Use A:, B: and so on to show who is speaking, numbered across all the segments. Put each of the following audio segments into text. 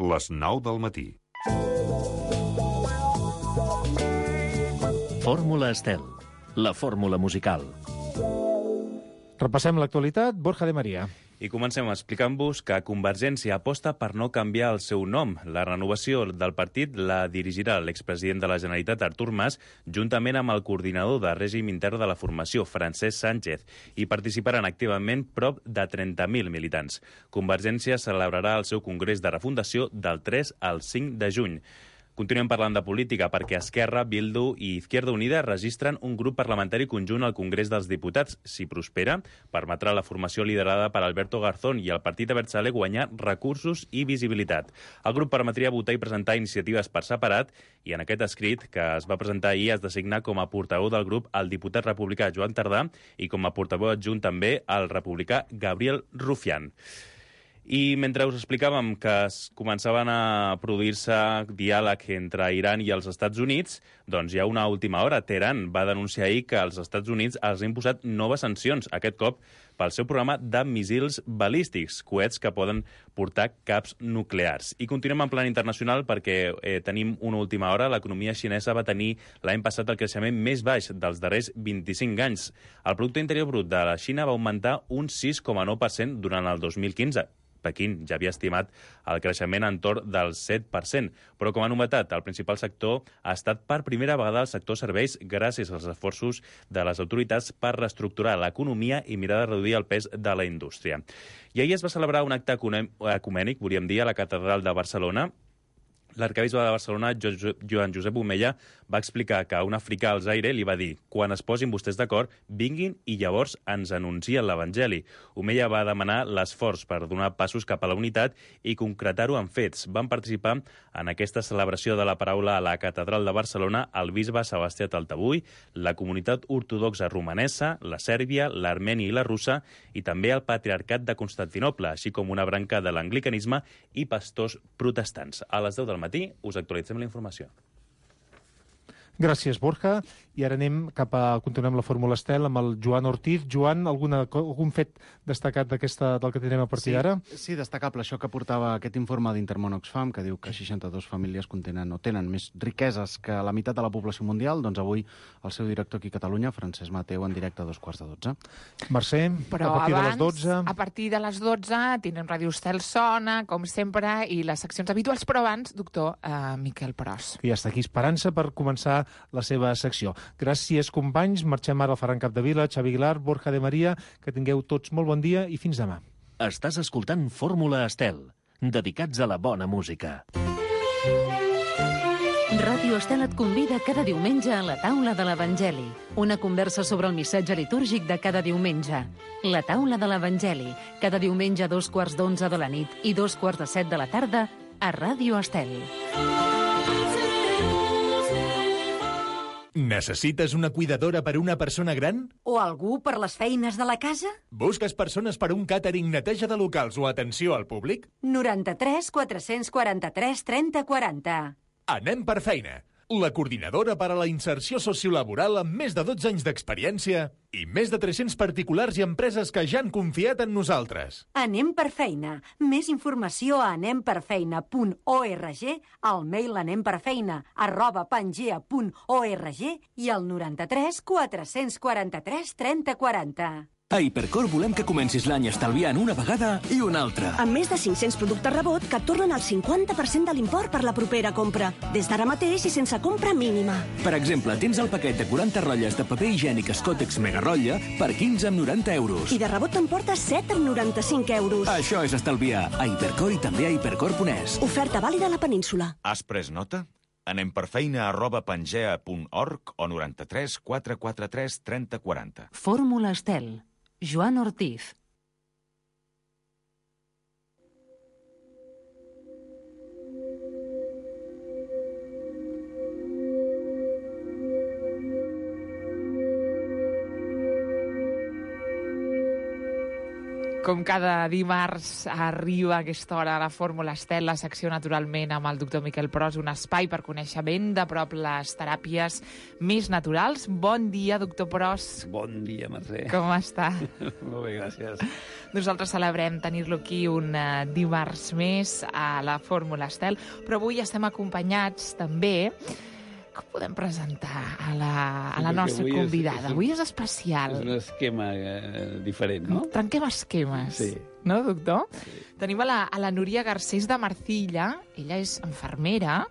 A: Les 9 del matí.
B: Fórmula Estel, la fórmula musical.
C: Repassem l'actualitat. Borja de Maria.
D: I comencem explicant-vos que Convergència aposta per no canviar el seu nom. La renovació del partit la dirigirà l'expresident de la Generalitat, Artur Mas, juntament amb el coordinador de règim intern de la formació, Francesc Sánchez, i participaran activament prop de 30.000 militants. Convergència celebrarà el seu congrés de refundació del 3 al 5 de juny. Continuem parlant de política perquè Esquerra, Bildu i Izquierda Unida registren un grup parlamentari conjunt al Congrés dels Diputats. Si prospera, permetrà la formació liderada per Alberto Garzón i el partit Abertzale guanyar recursos i visibilitat. El grup permetria votar i presentar iniciatives per separat i en aquest escrit, que es va presentar ahir, es designa com a portaveu del grup el diputat republicà Joan Tardà i com a portaveu adjunt també el republicà Gabriel Rufián. I mentre us explicàvem que es començaven a produir-se diàleg entre Iran i els Estats Units, doncs hi ha una última hora. Teheran va denunciar ahir que els Estats Units els ha imposat noves sancions, aquest cop pel seu programa de missils balístics, coets que poden portar caps nuclears. I continuem en plan internacional perquè tenim una última hora. L'economia xinesa va tenir l'any passat el creixement més baix dels darrers 25 anys. El Producte Interior Brut de la Xina va augmentar un 6,9% durant el 2015. Pequín ja havia estimat el creixement entorn del 7%, però com a novetat, el principal sector ha estat per primera vegada el sector serveis gràcies als esforços de les autoritats per reestructurar l'economia i mirar de reduir el pes de la indústria. I ahir es va celebrar un acte ecumènic, volíem dir, a la Catedral de Barcelona. L'arquebisbe de Barcelona, Joan Josep Omella, va explicar que un africà al Zaire li va dir «Quan es posin vostès d'acord, vinguin i llavors ens anuncien l'Evangeli». Omella va demanar l'esforç per donar passos cap a la unitat i concretar-ho en fets. Van participar en aquesta celebració de la paraula a la Catedral de Barcelona el bisbe Sebastià Taltabull, la comunitat ortodoxa romanesa, la sèrbia, l'armeni i la russa i també el patriarcat de Constantinoble, així com una branca de l'anglicanisme i pastors protestants. A les 10 del matí us actualitzem la informació.
C: Gràcies, Borja. I ara continuem la Fórmula Estel amb el Joan Ortiz. Joan, algun fet destacat del que tenim a partir d'ara?
E: Sí, destacable això que portava aquest informe d'Intermón Oxfam, que diu que 62 famílies tenen més riqueses que la meitat de la població mundial. Doncs avui el seu director aquí a Catalunya, Francesc Mateu, en directe a 2:15.
C: Mercè,
F: però
C: a partir
F: abans,
C: de les 12...
F: A partir de les 12 tindrem Ràdio Estel Sona, com sempre, i les seccions habituals, però abans, doctor Miquel Pros.
C: Que ja està aquí esperant-se per començar la seva secció. Gràcies, companys. Marxem ara al Ferran Capdevila, Xavi Aguilar, Borja de Maria. Que tingueu tots molt bon dia i fins demà.
B: Estàs escoltant Fórmula Estel, dedicats a la bona música.
G: Ràdio Estel et convida cada diumenge a la taula de l'Evangeli. Una conversa sobre el missatge litúrgic de cada diumenge. La taula de l'Evangeli, cada diumenge a 2:15 de la nit i 2:45 de la tarda a Ràdio Estel.
H: Necessites una cuidadora per una persona gran?
I: O algú per les feines de la casa?
H: Busques persones per un càtering, neteja de locals o atenció al públic?
I: 93 443 30 40.
H: Anem per feina. La coordinadora per a la inserció sociolaboral amb més de 12 anys d'experiència i més de 300 particulars i empreses que ja han confiat en nosaltres.
I: Anem per feina. Més informació a anemperfeina.org, al mail anemperfeina@pangea.org i al 93 443 30 40.
J: A Hipercor volem que comencis l'any estalviant una vegada i una altra.
K: Amb més de 500 productes rebot que et tornen el 50% de l'import per la propera compra. Des d'ara mateix i sense compra mínima.
J: Per exemple, tens el paquet de 40 rotlles de paper higiènic Scottex Mega Rotlla per 15,90 €.
K: I de rebot t'emportes 7,95 €.
J: Això és estalviar. A Hipercor i també a hipercor.es.
K: Oferta vàlida a la península.
L: Has pres nota? anemperfeina@pangea.org o 93 443 30 40.
G: Fórmula Estel. Joan Ortiz.
F: Com cada dimarts arriba a aquesta hora a la Fórmula Estel, la secció naturalment amb el doctor Miquel Pros, un espai per conèixer ben de prop les teràpies més naturals. Bon dia, doctor Pros.
A: Bon dia, Mercè.
F: Com està?
A: Molt bé, gràcies.
F: Nosaltres celebrem tenir-lo aquí un dimarts més a la Fórmula Estel, però avui estem acompanyats també. Com podem presentar a la nostra convidada? Avui és especial.
A: És un esquema diferent, no?
F: Trenquem esquemes,
A: sí.
F: No, doctor?
A: Sí.
F: Tenim a la Núria Garcés de Marcilla. Ella és infermera,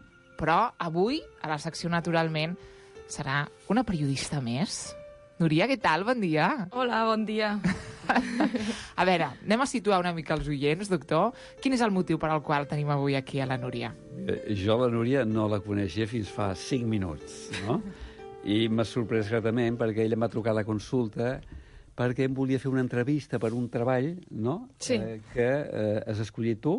F: però avui, a la secció Naturalment, serà una periodista més. Núria, què tal? Bon dia.
M: Hola, bon dia.
F: A veure, anem a situar una mica els oients, doctor. Quin és el motiu per al qual tenim avui aquí a la Núria?
A: Jo la Núria no la coneixia fins fa 5 minuts, no? I m'ha sorprès gratament perquè ella m'ha trucat a la consulta perquè em volia fer una entrevista per un treball, no?
M: Sí.
A: Que has escollit tu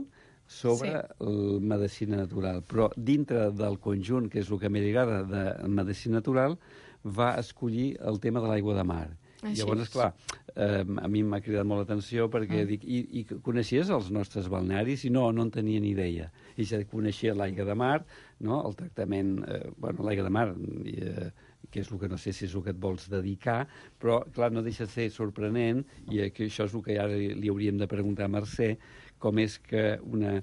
A: sobre la medicina natural. Però dintre del conjunt, que és el que m'he lligat de medicina natural, va escollir el tema de l'aigua de mar.
M: Així.
A: Llavors, esclar, a mi m'ha cridat molt l'atenció perquè dic, i coneixies els nostres balnearis? I no en tenia ni idea. I ja coneixia l'aigua de mar, no? El tractament, l'aigua de mar, que és el que no sé si és el que et vols dedicar, però, clar, no deixa de ser sorprenent, i que això és el que ara li hauríem de preguntar a Mercè, com és que una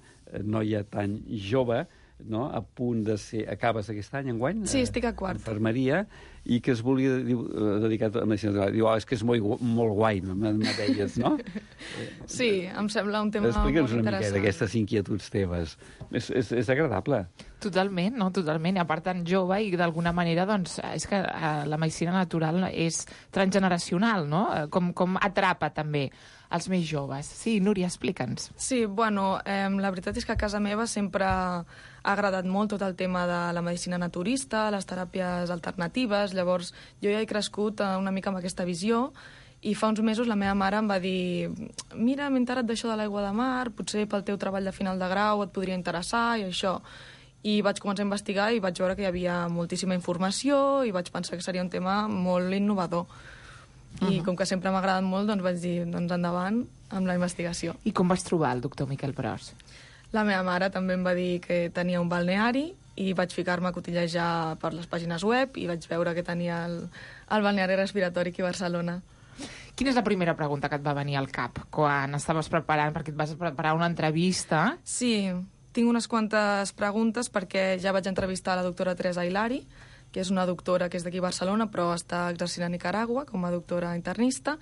A: noia tan jove, no? A punt de ser... Acabes aquest any, enguany?
M: Sí, estic a quart.
A: Infermeria, i que es volia dedicar a medicina natural. Diu, és que és molt guai, me deies, no?
M: Sí, em sembla un tema molt interessant.
A: Explica'ns una mica d'aquestes inquietuds teves. És agradable.
F: Totalment, no? Totalment. I a part tan jove i d'alguna manera, doncs, és que la medicina natural és transgeneracional, no? Com atrapa també els més joves. Sí, Núria, explica'ns.
M: Sí, bueno, la veritat és que a casa meva sempre ha agradat molt tot el tema de la medicina naturista, les teràpies alternatives. Llavors, jo ja he crescut una mica amb aquesta visió i fa uns mesos la meva mare em va dir mira, m'he enterat d'això de l'aigua de mar, potser pel teu treball de final de grau et podria interessar i això. I vaig començar a investigar i vaig veure que hi havia moltíssima informació i vaig pensar que seria un tema molt innovador. I com que sempre m'ha agradat molt, doncs vaig dir, doncs endavant amb la investigació.
F: I com vas trobar el doctor Miquel Pros?
M: La meva mare també em va dir que tenia un balneari i vaig ficar-me a cotillejar per les pàgines web i vaig veure que tenia el balneari respiratori aquí a Barcelona.
F: Quina és la primera pregunta que et va venir al cap quan estaves preparant, perquè et vas preparar una entrevista?
M: Sí, tinc unes quantes preguntes perquè ja vaig entrevistar la doctora Teresa Hilari, que és una doctora que és d'aquí a Barcelona, però està exercint a Nicaragua com a doctora internista,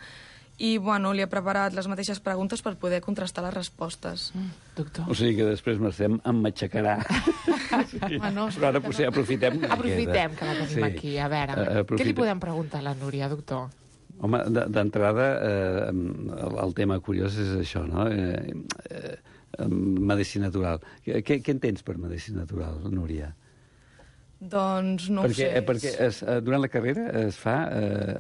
M: i bueno, li he preparat les mateixes preguntes per poder contrastar les respostes.
F: Doctor.
A: O sigui que després Mercè em matxacarà. Sí.
M: Bueno,
A: però ara potser aprofitem que
F: que la tenim aquí. A veure, què li podem preguntar a la Núria, doctor?
A: Home, d'entrada, el tema curiós és això, no? Medicina natural. Què entens per medicina natural, Núria?
M: Doncs no ho sé.
A: Perquè durant la carrera es fa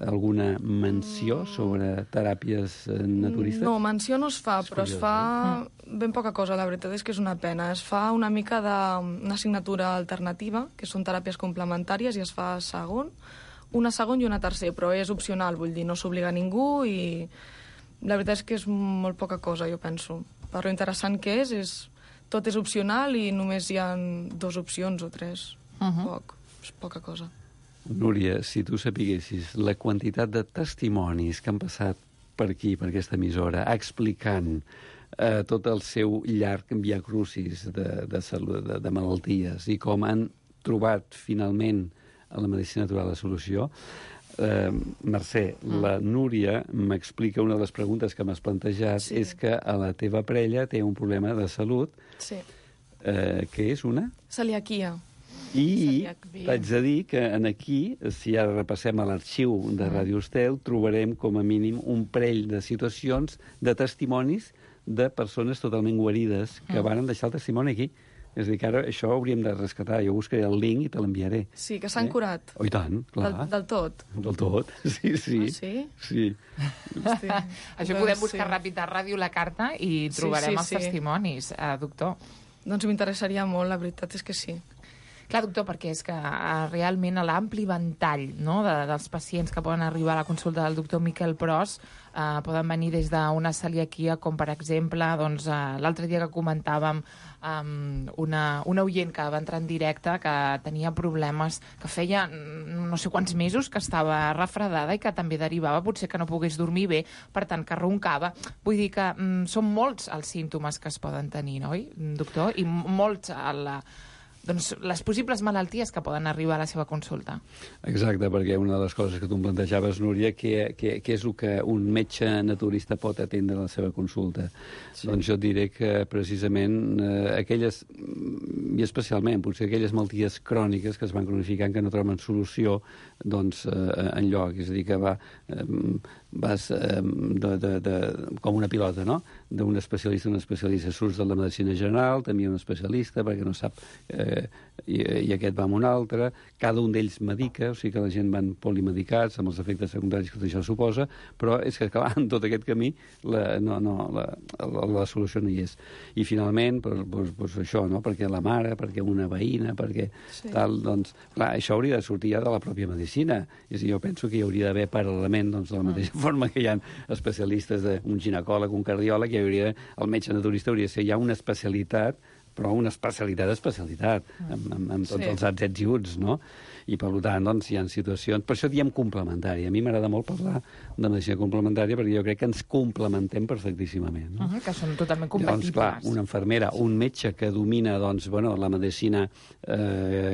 A: alguna menció sobre teràpies naturistes?
M: No, menció no es fa, però es fa ben poca cosa, la veritat és que és una pena. Es fa una mica d'una assignatura alternativa, que són teràpies complementàries, i es fa una segon i una tercer, però és opcional, vull dir, no s'obliga a ningú i la veritat és que és molt poca cosa, jo penso. Per lo interessant que és tot és opcional i només hi ha 2 opcions o 3. És poca cosa.
A: Núria, si tu sapiguessis la quantitat de testimonis que han passat per aquí, per aquesta emissora, explicant tot el seu llarg viacrucis de salut, de malalties, i com han trobat finalment a la medicina natural la solució, Mercè, la Núria m'explica una de les preguntes que m'has plantejat, és que a la teva parella té un problema de salut, que és una?
M: Celiaquia.
A: I t'haig de dir que aquí, si ara repassem a l'arxiu de Ràdio Estel, trobarem com a mínim un parell de situacions, de testimonis de persones totalment guarides que van deixar el testimoni aquí. És a dir, que ara això ho hauríem de rescatar. Jo buscaré el link i te l'enviaré.
M: Sí, que s'han curat.
A: Oh, i tant, clar.
M: Del tot.
A: Del tot, sí.
M: Ah, sí?
A: Sí.
F: Això podem buscar ràpid a Ràdio La Carta i trobarem els testimonis, doctor.
M: Doncs m'interessaria molt, la veritat és que sí.
F: Clar, doctor, perquè és que realment l'ampli ventall, no?, dels pacients que poden arribar a la consulta del doctor Miquel Pros poden venir des d'una celiaquia, com per exemple, doncs, l'altre dia que comentàvem una oient que va entrar en directe que tenia problemes, que feia no sé quants mesos que estava refredada i que també derivava potser que no pogués dormir bé, per tant que roncava. Vull dir que són molts els símptomes que es poden tenir, no, doctor? I molts doncs, les possibles malalties que poden arribar a la seva consulta.
A: Exacte, perquè una de les coses que tu em plantejaves, Núria, què és el que un metge naturista pot atendre a la seva consulta? Sí. Doncs jo et diré que precisament aquelles, i especialment potser aquelles malalties cròniques que es van cronificant que no troben solució doncs, enlloc, és a dir, que vas com una pilota, no?, d'un especialista a un especialista. Surts de la medicina general, també un especialista, perquè no sap, i aquest va amb un altre. Cada un d'ells medica, o sigui que la gent van polimedicats, amb els efectes secundaris que això suposa, però és que, clar, en tot aquest camí la solució no hi és. I finalment, doncs això, no?, perquè la mare, perquè una veïna, perquè tal, doncs, clar, això hauria de sortir ja de la pròpia medicina. És a dir, jo penso que hi hauria d'haver paral·lelament, doncs, de la mateixa forma que hi ha especialistes, un ginecòleg, un cardiòleg, el metge naturista hauria de ser ja una especialitat, però una especialitat, amb tots els ets i uts, no? I, per tant, doncs, hi ha situacions... Per això diem complementària. A mi m'agrada molt parlar de medicina complementària perquè jo crec que ens complementem perfectíssimament. No?
F: Que són totalment compatibles.
A: Doncs, clar, una infermera, un metge que domina, doncs, bueno, la medicina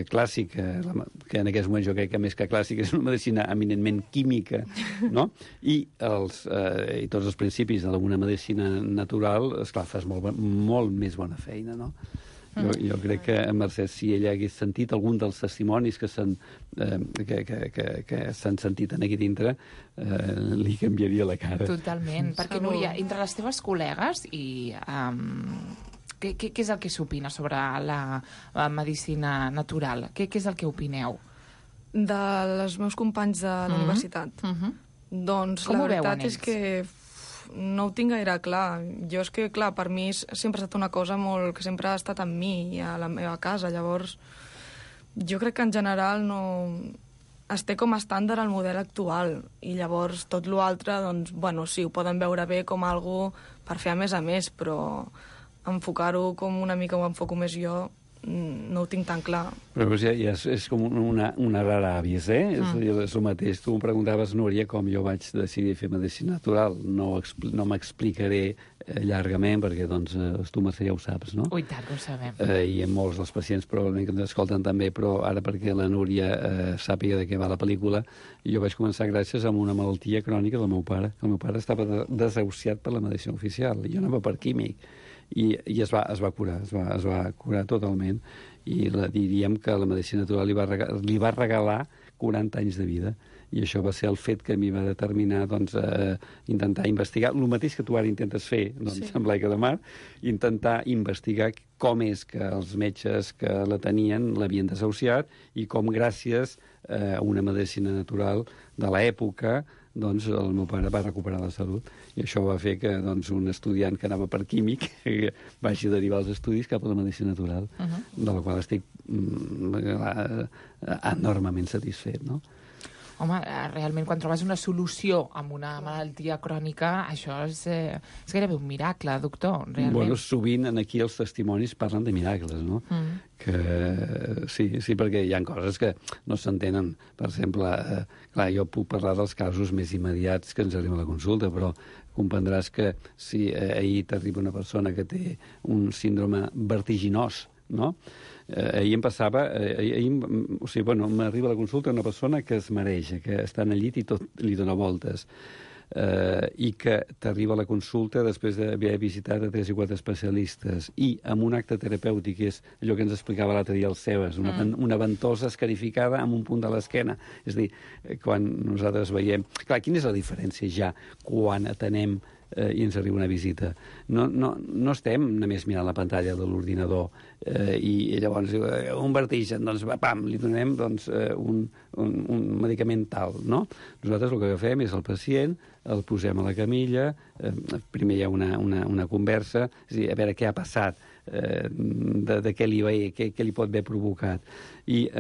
A: clàssica, que en aquests moments jo crec que més que clàssica és una medicina eminentment química, no? I tots els principis d'alguna medicina natural, esclar, fas molt més bona feina, no? Jo crec que Mercè, si ella hagués sentit algun dels testimonis que s'han sentit aquí dintre, li canviaria la cara.
F: Totalment, perquè, Núria, entre les teves col·legues què és el que s'opina sobre la medicina natural? Què és el que opineu?
M: Dels meus companys de la universitat? Doncs la veritat és que no ho tinc gaire clar. Jo és que, clar, per mi sempre ha estat una cosa molt que sempre ha estat amb mi i a la meva casa. Llavors, jo crec que en general no... es té com a estàndard el model actual i llavors tot l'altre, doncs, bueno, sí, ho poden veure bé com algo per fer a més, però enfocar-ho com una mica ho enfoco més jo no ho tinc tan clar.
A: Però ja és com una rara avis, És el mateix. Tu em preguntaves, Núria, com jo vaig decidir fer medicina natural. No m'explicaré llargament, perquè doncs, tu, Mercè, ja ho saps, no?
F: Ui, tant, ho sabem.
A: I molts dels pacients probablement que ens escolten també, però ara perquè la Núria sàpiga de què va la pel·lícula, jo vaig començar gràcies a una malaltia crònica del meu pare. El meu pare estava desahuciat per la medicina oficial, i jo anava per químic. I es va curar totalment, i diríem que la medicina natural li va regalar 40 anys de vida, i això va ser el fet que a mi va determinar, doncs, intentar investigar el mateix que tu ara intentes fer, doncs, amb l'Aica de Mar, intentar investigar com és que els metges que la tenien l'havien desahuciat i com, gràcies a una medicina natural de l'època, doncs el meu pare va recuperar la salut, i això va fer que, doncs, un estudiant que anava per químic vagi a derivar els estudis cap a la medicina natural, de la qual estic enormement satisfet, no?
F: Home, realment, quan trobes una solució amb una malaltia crònica, això és gairebé un miracle, doctor, realment.
A: Bueno, sovint aquí els testimonis parlen de miracles, no? Que sí, perquè hi ha coses que no s'entenen. Per exemple, clar, jo puc parlar dels casos més immediats que ens arriben a la consulta, però comprendràs que si ahir t'arriba una persona que té un síndrome vertiginós, no? Ahir em passava, o sigui, bueno, m'arriba a la consulta una persona que es mareja, que està en el llit i tot li dona voltes, i que t'arriba a la consulta després d'haver visitat a 3 i 4 especialistes i amb un acte terapèutic, que és allò que ens explicava l'altre dia el Sebas, una ventosa escarificada amb un punt de l'esquena. És a dir, quan nosaltres veiem... Clar, quina és la diferència ja quan atenem i ens arriba una visita? No estem només mirant la pantalla de l'ordinador i llavors un vertigen, doncs pam, li donem un medicament tal, no? Nosaltres el que fem és el pacient, el posem a la camilla, primer hi ha una conversa, és a dir, a veure què ha passat, de què li pot haver provocat. I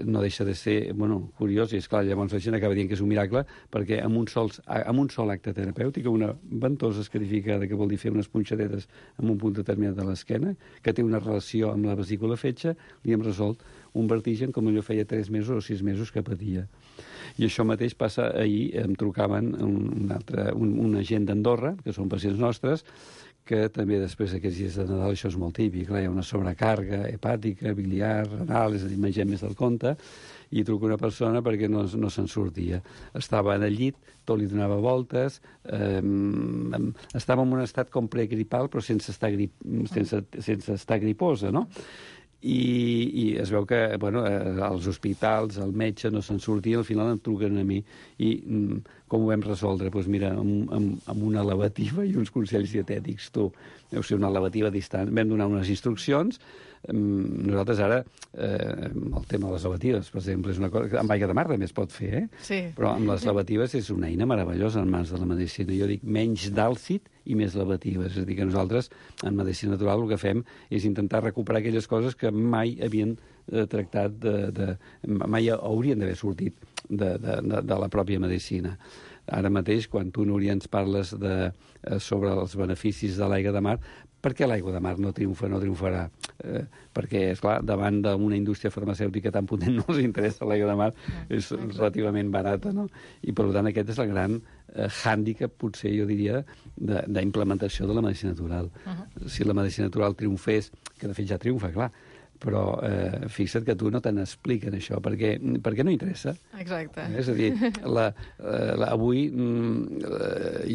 A: no deixa de ser curiós, i esclar, llavors la gent acaba dient que és un miracle, perquè amb un sol acte terapèutic, una ventosa escarificada, que vol dir fer unes punxadetes en un punt determinat de l'esquena, que té una relació amb la vesícula fetge, li hem resolt un vertigen com allò feia 3 mesos o 6 mesos que patia. I això mateix passa ahir, em trucaven una gent d'Andorra, que són pacients nostres, que també després d'aquests dies de Nadal, això és molt típic, hi ha una sobrecàrga hepàtica, biliar, renal, és a dir, mengem més del compte, i truco una persona perquè no se'n sortia. Estava en el llit, tot li donava voltes, estava en un estat com pregripal, però sense estar griposa, no? I es veu que als hospitals, el metge no se'n sortia, al final em truquen a mi. I com ho vam resoldre? Doncs mira, amb una lavativa i uns consells dietètics. Deu ser una lavativa distant. Vam donar unes instruccions. Nosaltres ara, el tema de les lavatives, per exemple, és una cosa que amb aigua de mar també es pot fer,
M: Sí.
A: Però amb les lavatives és una eina meravellosa en mans de la medicina. Jo dic menys d'àlcid i més lavatives. És a dir, que nosaltres, en medicina natural, el que fem és intentar recuperar aquelles coses que mai havien tractat, mai haurien d'haver sortit de la pròpia medicina. Ara mateix, quan tu, Núria, ens parles sobre els beneficis de l'aigua de mar, per què l'aigua de mar no triomfarà? Perquè, esclar, davant d'una indústria farmacèutica tan potent no els interessa l'aigua de mar, és relativament barata, no? I, per tant, aquest és el gran hàndicap, potser, jo diria, d'implementació de la medicina natural. Si la medicina natural triomfés, que de fet ja triomfa, clar, però fixa't que tu no te n'expliquen això, perquè no interessa.
M: Exacte.
A: És a dir, avui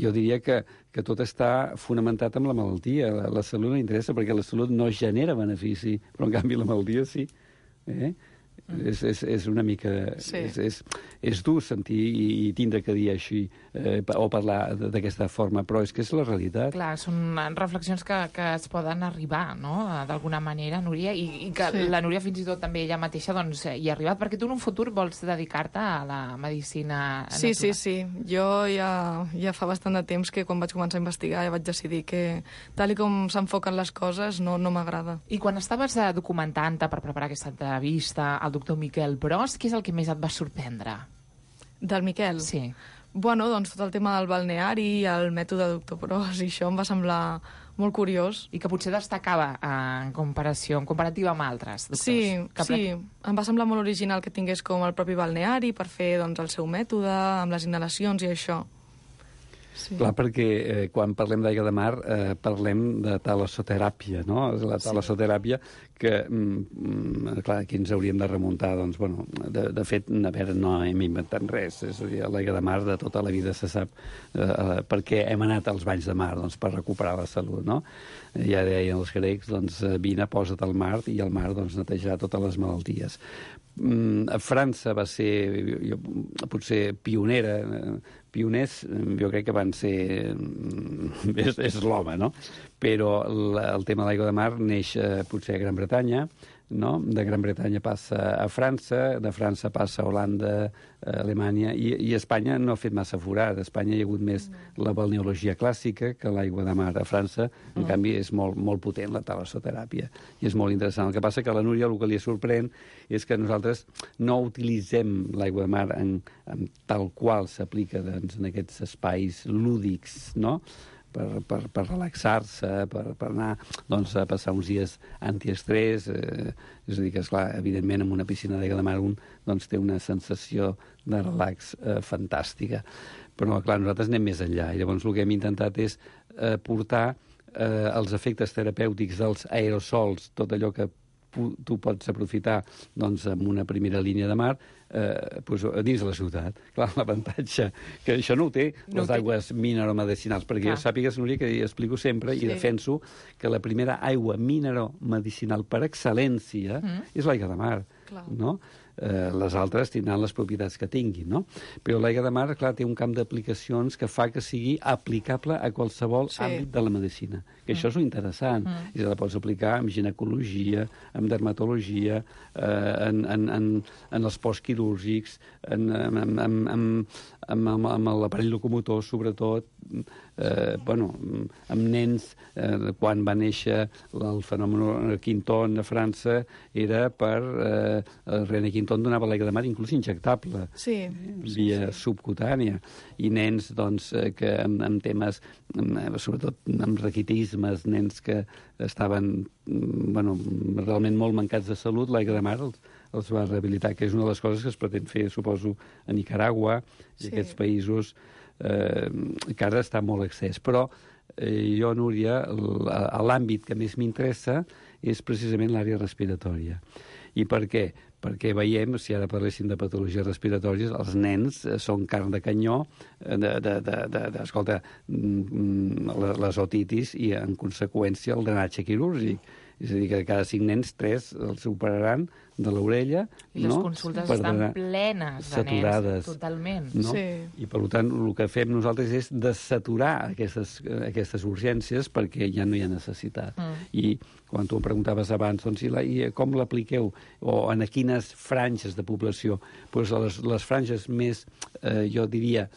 A: jo diria que tot està fonamentat en la malaltia. La salut no interessa perquè la salut no genera benefici, però en canvi la malaltia sí. És una mica...
M: Sí.
A: És dur sentir i tindre que dir així o parlar d'aquesta forma, però és que és la realitat.
F: Clar, són reflexions que es poden arribar, no?, d'alguna manera, Núria, i que la Núria fins i tot també ella mateixa hi ha arribat, perquè tu en un futur vols dedicar-te a la medicina natural.
M: Sí. Jo ja fa bastant de temps que quan vaig començar a investigar ja vaig decidir que tal i com s'enfoquen les coses no m'agrada.
F: I quan estaves documentant-te per preparar aquesta entrevista al doctor Miquel Bros, què és el que més et va sorprendre?
M: Del Miquel?
F: Sí.
M: Bueno, doncs tot el tema del balneari, el mètode doctor Bros, i això em va semblar molt curiós.
F: I que potser destacava en comparativa amb altres doctors.
M: Sí, em va semblar molt original que tingués com el propi balneari per fer doncs, el seu mètode, amb les inhalacions i això.
A: Sí. Clar, perquè quan parlem d'aigua de mar parlem de talassoteràpia, no? La talassoteràpia que, clar, aquí ens hauríem de remuntar, doncs, bueno, de fet, a veure, no hem inventat res, és a dir, l'aigua de mar de tota la vida se sap per què hem anat als banys de mar, doncs, per recuperar la salut, no? Ja deien els grecs, doncs, vine, posa't al mar, i el mar, doncs, netejarà totes les malalties. A França va ser, potser, pioners, jo crec que van ser... és l'home, no? Però el tema de l'aigua de mar neix potser a Gran Bretanya, no? De Gran Bretanya passa a França, de França passa a Holanda, a Alemanya, i Espanya no ha fet massa forat. A Espanya hi ha hagut més la balneologia clàssica que l'aigua de mar. A França, en canvi, és molt potent la talassoteràpia, i és molt interessant. El que passa que a la Núria el que li sorprèn és que nosaltres no utilitzem l'aigua de mar tal qual s'aplica doncs, en aquests espais lúdics, no?, per relaxar-se, per anar doncs, a passar uns dies antiestrès. És a dir, que, esclar, evidentment, en una piscina d'aigua de mar un doncs, té una sensació de relax fantàstica. Però, clar, nosaltres anem més enllà. I llavors el que hem intentat és portar els efectes terapèutics dels aerosols, tot allò que tu pots aprofitar doncs, amb una primera línia de mar doncs, dins de la ciutat. Clar, l'avantatge que això no ho té les aigües mineromedicinals, perquè jo sàpigues, Núria, que explico sempre i defenso que la primera aigua mineromedicinal per excel·lència és l'aigua de mar, no? Les altres tindran les propietats que tinguin, no? Però l'aigua de mar, clar, té un camp d'aplicacions que fa que sigui aplicable a qualsevol àmbit de la medicina. Que això és interessant. I la pots aplicar en ginecologia, en dermatologia, en els postquirúrgics, amb l'aparell locomotor, sobretot, amb nens, quan va néixer el fenomen Quinton a França, era per... René Quinton donava l'aigua de mar inclús injectable, via subcutània, i nens doncs, que amb temes, sobretot amb raquitismes, nens que estaven realment molt mancats de salut, l'aigua de mar els va rehabilitar, que és una de les coses que es pretén fer, suposo, a Nicaragua i aquests països que ara està molt excés. Però jo, Núria, l'àmbit que més m'interessa és precisament l'àrea respiratòria. I per què? Perquè veiem, si ara parléssim de patologies respiratòries, els nens són carn de canyó escolta, les otitis i, en conseqüència, el drenatge quirúrgic. És a dir, que cada 5 nens, 3 els operaran de l'orella.
F: I les consultes estan plenes de nens, totalment.
A: I, per tant, el que fem nosaltres és desaturar aquestes urgències perquè ja no hi ha necessitat. I quan tu em preguntaves abans, doncs, i com l'apliqueu? O en quines franges de població? Doncs les franges més, jo diria,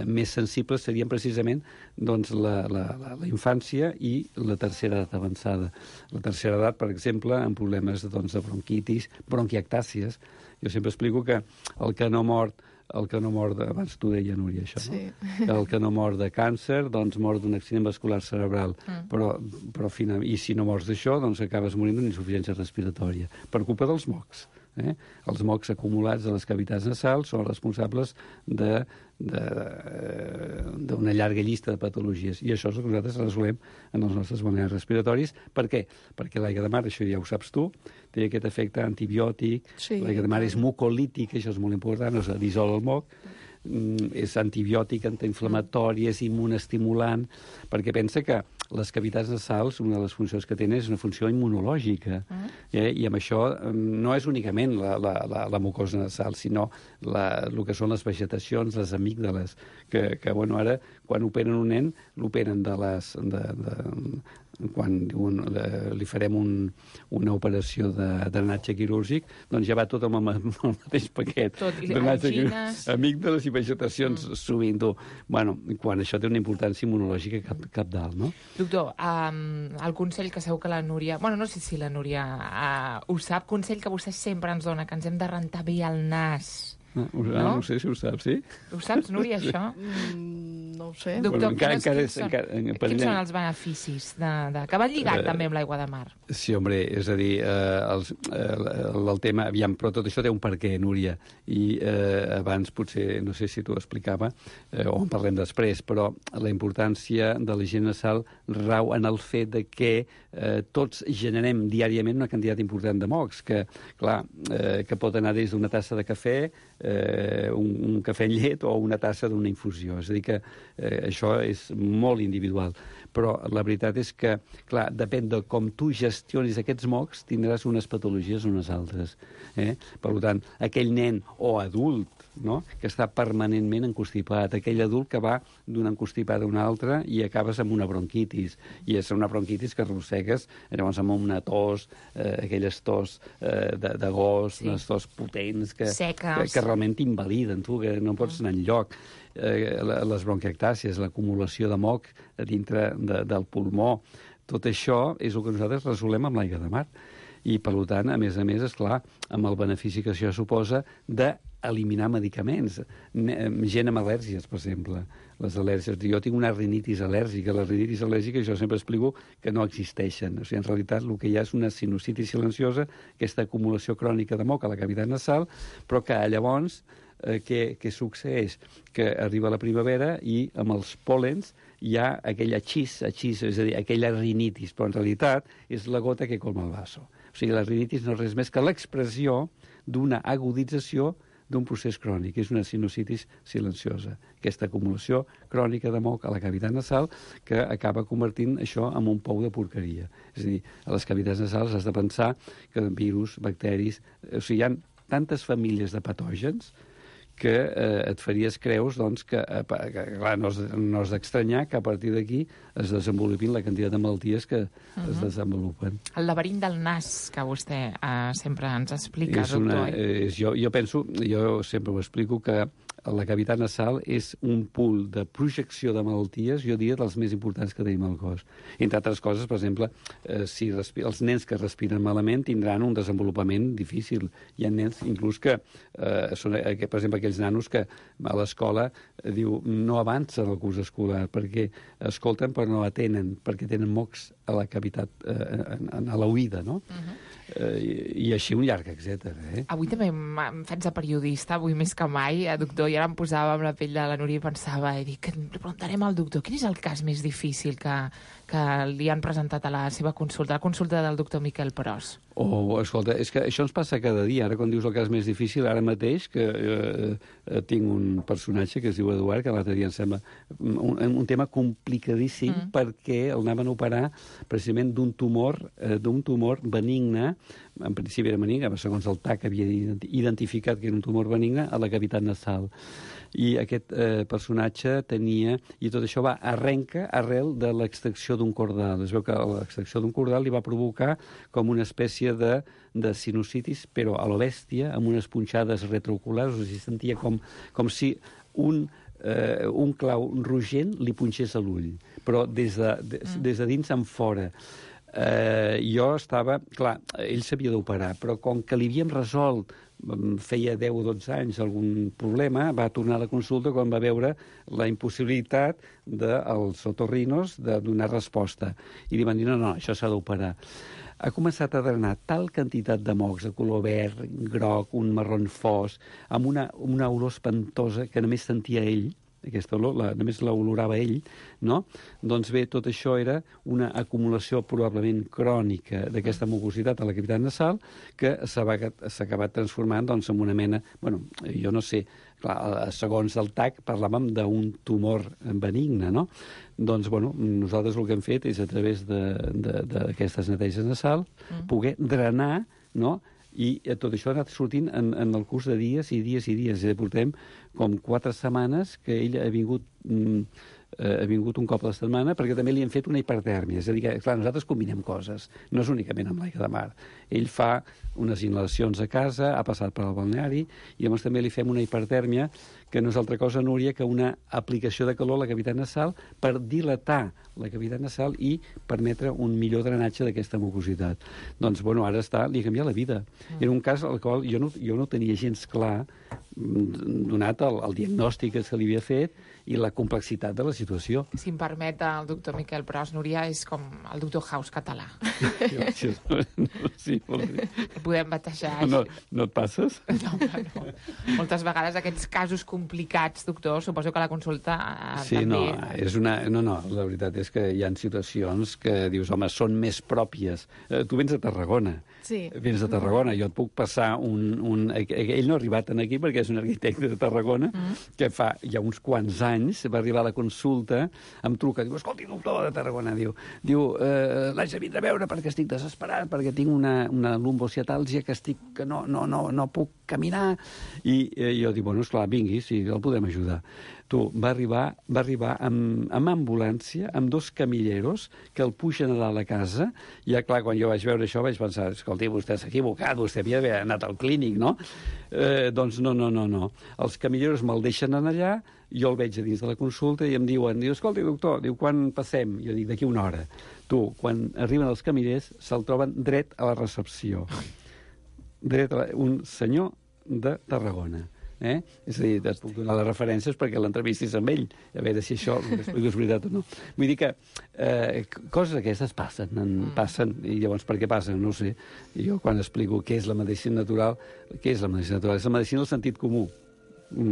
A: més sensibles serien precisament doncs, la infància i la tercera edat avançada. La tercera edat, per exemple, amb problemes doncs, de bronquitis, bronquiectàcies. Jo sempre explico que el que no mor, abans t'ho deia, Núria, això, no? Que el que no mor de càncer, doncs mor d'un accident vascular cerebral. Però i si no mors d'això, doncs acabes morint d'insuficiència respiratòria, per culpa dels mocs. Els mocs acumulats a les cavitats nasals són responsables d'una llarga llista de patologies. I això és el que nosaltres resolem en els nostres balnearis respiratoris. Per què? Perquè l'aigua de mar, això ja ho saps tu, té aquest efecte antibiòtic, l'aigua de mar és mucolític, això és molt important, o sigui, dissol el moc, és antibiòtic, antiinflamatori, és immunoestimulant, perquè pensa que les cavitats nasals, una de les funcions que tenen és una funció immunològica, i amb això no és únicament la mucosa nasal, sinó el que són les vegetacions, les amígdales, que ara, quan operen un nen, l'operen quan li farem una operació de drenatge quirúrgic, doncs ja va tot amb el mateix paquet. Amígdales i vegetacions sovint. Quan això té una importància immunològica capdalt, no?
F: Doctor, el consell que segur que la Núria... no sé si la Núria ho sap, consell que vostè sempre ens dona, que ens hem de rentar bé el nas.
A: No sé si ho saps, sí?
F: Ho saps, Núria, això?
M: No ho sé.
F: Doctor, quins són els beneficis que van lligat també amb l'aigua de mar?
A: Sí, home, és a dir, el tema... Aviam, però tot això té un perquè, Núria, i abans potser, no sé si t'ho explicava, o en parlem després, però la importància de la higiene nasal rau en el fet de que tots generem diàriament una quantitat important de mocs, que, clar, que pot anar des d'una tassa de cafè, un cafè amb llet o una tassa d'una infusió. És a dir, que això és molt individual. Però la veritat és que, clar, depèn de com tu gestionis aquests mocs, tindràs unes patologies o unes altres. Per tant, aquell nen o adult, no?, que està permanentment encostipat, aquell adult que va d'una encostipada a una altra i acabes amb una bronquitis, i és una bronquitis que arrossegues llavors amb una tos, aquelles tos de gos, unes tos potents que realment t'invaliden, tu, que no pots anar enlloc. Les bronquiectàcies, l'acumulació de moc dintre del pulmó, tot això és el que nosaltres resolem amb l'aigua de mar. I, per tant, a més, esclar, amb el benefici que això suposa d'eliminar medicaments. Gent amb al·lèrgies, per exemple. Les al·lèrgies. Jo tinc una rinitis al·lèrgica. La rinitis al·lèrgica, jo sempre explico que no existeixen. O sigui, en realitat, el que hi ha és una sinusitis silenciosa, aquesta acumulació crònica de moc a la cavitat nasal, però que llavors què succeeix? Que arriba la primavera i amb els pòlens hi ha aquell achís, és a dir, aquella rinitis, però en realitat és la gota que colma el vaso. O sigui, la rinitis no és res més que l'expressió d'una agudització d'un procés crònic, és una sinusitis silenciosa, aquesta acumulació crònica de moc a la cavitat nasal que acaba convertint això en un pou de porqueria. És a dir, a les cavitats nasals has de pensar que virus, bacteris... O sigui, hi ha tantes famílies de patògens que et faries creus doncs, que clar, no has d'estranyar que a partir d'aquí es desenvolupin la quantitat de malalties que es desenvolupen.
F: El laberint del nas, que vostè sempre ens explica, doctor.
A: Jo penso, jo sempre ho explico, que la cavitat nasal és un pool de projecció de malalties, jo diria, dels més importants que tenim al cos. Entre altres coses, per exemple, si els nens que respiren malament tindran un desenvolupament difícil. Hi ha nens, inclús, que són, per exemple, aquells nanos que a l'escola diu no avancen el curs escolar perquè escolten però no atenen, perquè tenen mocs a la cavitat, a l'oïda, no? I així un llarg, etc.
F: Avui també em faig de periodista, avui més que mai, doctor, i ara em posava amb la pell de la Núria i pensava, i dic, li preguntarem al doctor, quin és el cas més difícil que li han presentat a la seva consulta, la consulta del doctor Miquel Pros?
A: Escolta, és que això ens passa cada dia. Ara, quan dius el cas més difícil, ara mateix, que tinc un personatge que es diu Eduard, que l'altre dia em sembla un tema complicadíssim, perquè el anaven a operar precisament d'un tumor benigne, en principi era benigne, segons el TAC havia identificat que era un tumor benigne a la cavitat nasal. I aquest personatge tenia... I tot això arrenca arrel de l'extracció d'un cordal. Es veu que l'extracció d'un cordal li va provocar com una espècie de sinusitis, però a lo bèstia, amb unes punxades retrooculars, o sigui, sentia com si un clau rogent li punxés a l'ull, però des de dins en fora. Jo estava... Clar, ell s'havia d'operar, però com que li havíem resolt feia 10 o 12 anys algun problema, va tornar a la consulta quan va veure la impossibilitat dels otorrinos de donar resposta. I li van dir, no, això s'ha d'operar. Ha començat a drenar tal quantitat de mocs de color verd, groc, un marron fos, amb una olor espantosa que només sentia ell, aquesta olor, només l'olorava ell, no? Doncs bé, tot això era una acumulació probablement crònica d'aquesta mucositat a la cavitat nasal que s'ha acabat transformant doncs, en una mena... Bueno, jo no sé, clar, segons el TAC parlàvem d'un tumor benigne, no? Doncs, bueno, nosaltres el que hem fet és a través d'aquestes neteges nasals poder drenar, no?, i tot això ha anat sortint en el curs de dies i dies i dies. Portem com 4 setmanes que ell ha vingut un cop a la setmana, perquè també li hem fet una hipertèrmia. És a dir, que, clar, nosaltres combinem coses. No és únicament amb l'aigua de mar. Ell fa unes inhalacions a casa, ha passat per al balneari, i llavors també li fem una hipertèrmia, que no és altra cosa, Núria, que una aplicació de calor a la cavitat nasal per dilatar la cavitat nasal i permetre un millor drenatge d'aquesta mucositat. Doncs, bueno, ara li ha canviat la vida. Era un cas al qual jo no tenia gens clar, donat el diagnòstic que se li havia fet i la complexitat de la situació.
F: Si em permet, el doctor Miquel Pros, Núria, és com el doctor House català.
A: Sí, molt bé.
F: Podem batejar.
A: No et passes?
F: No. Moltes vegades aquests casos complicats, doctor, suposo que la consulta
A: sí,
F: també...
A: No, la veritat és que hi ha situacions que dius, home, són més pròpies. Tu vens de Tarragona.
M: Sí.
A: Vens de Tarragona. Jo et puc passar ell no ha arribat aquí perquè és un arquitecte de Tarragona que fa ja uns quants anys va arribar a la consulta, em truca, diu, escolti, doctor de Tarragona, diu l'haig de vindre a veure perquè estic desesperat, perquè tinc una lumbociatàlgia que no puc caminar. I jo dic, bueno, esclar, vingui, sí, el podem ajudar. Va arribar amb ambulància, amb 2 camilleros que el pugen a dalt a casa. I ja, clar, quan jo vaig veure això vaig pensar, escolti, vostè s'ha equivocat, vostè havia d'haver anat al clínic, no? Doncs no. Els camilleros me'l deixen anar allà, jo el veig a dins de la consulta i em diuen, escolti, doctor, quan passem? Jo dic, d'aquí una hora. Quan arriben els camillers, se'l troben dret a la recepció. Un senyor de Tarragona. És a dir, et puc donar les referències perquè l'entrevistis amb ell, a veure si això és veritat o no. Vull dir que coses aquestes passen, i llavors per què passen? No ho sé. Jo quan explico què és la medicina natural, és la medicina del sentit comú.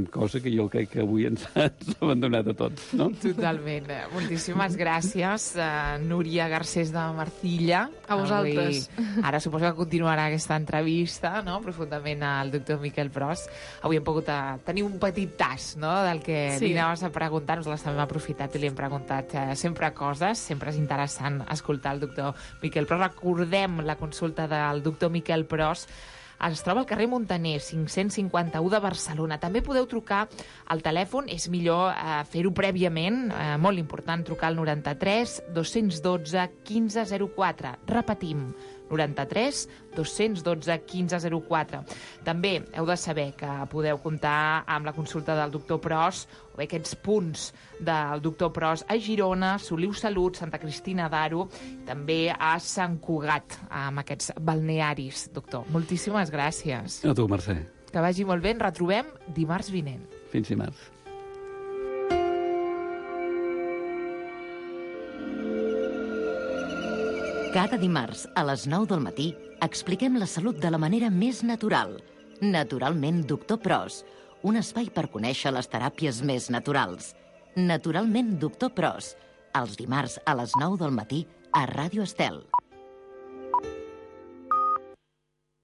A: Cosa que jo crec que avui ens ha abandonat a tots, no?
F: Totalment. Moltíssimes gràcies, Núria Garcés de Marcilla.
M: A vosaltres.
F: Ara suposo que continuarà aquesta entrevista, no?, profundament al doctor Miquel Pros. Avui hem pogut tenir un petit tas, no?, del que li anaves a preguntar. Nos les hem aprofitat i li hem preguntat sempre coses. Sempre és interessant escoltar el doctor Miquel Pros. Recordem la consulta del doctor Miquel Pros. Es troba al carrer Montaner, 551 de Barcelona. També podeu trucar al telèfon, és millor fer-ho prèviament, molt important, trucar al 93 212 1504. Repetim, 93 212 1504. També heu de saber que podeu comptar amb la consulta del doctor Pros o bé aquests punts del doctor Pros a Girona, Soliu Salut, Santa Cristina d'Aro, també a Sant Cugat, amb aquests balnearis. Doctor, moltíssimes gràcies.
A: A tu, Mercè.
F: Que vagi molt bé. Ens retrobem dimarts vinent.
A: Fins dimarts.
N: Cada dimarts a les 9 del matí expliquem la salut de la manera més natural. Naturalment, doctor Pros, un espai per conèixer les teràpies més naturals. Naturalment, doctor Pros, els dimarts a les 9 del matí a Ràdio Estel.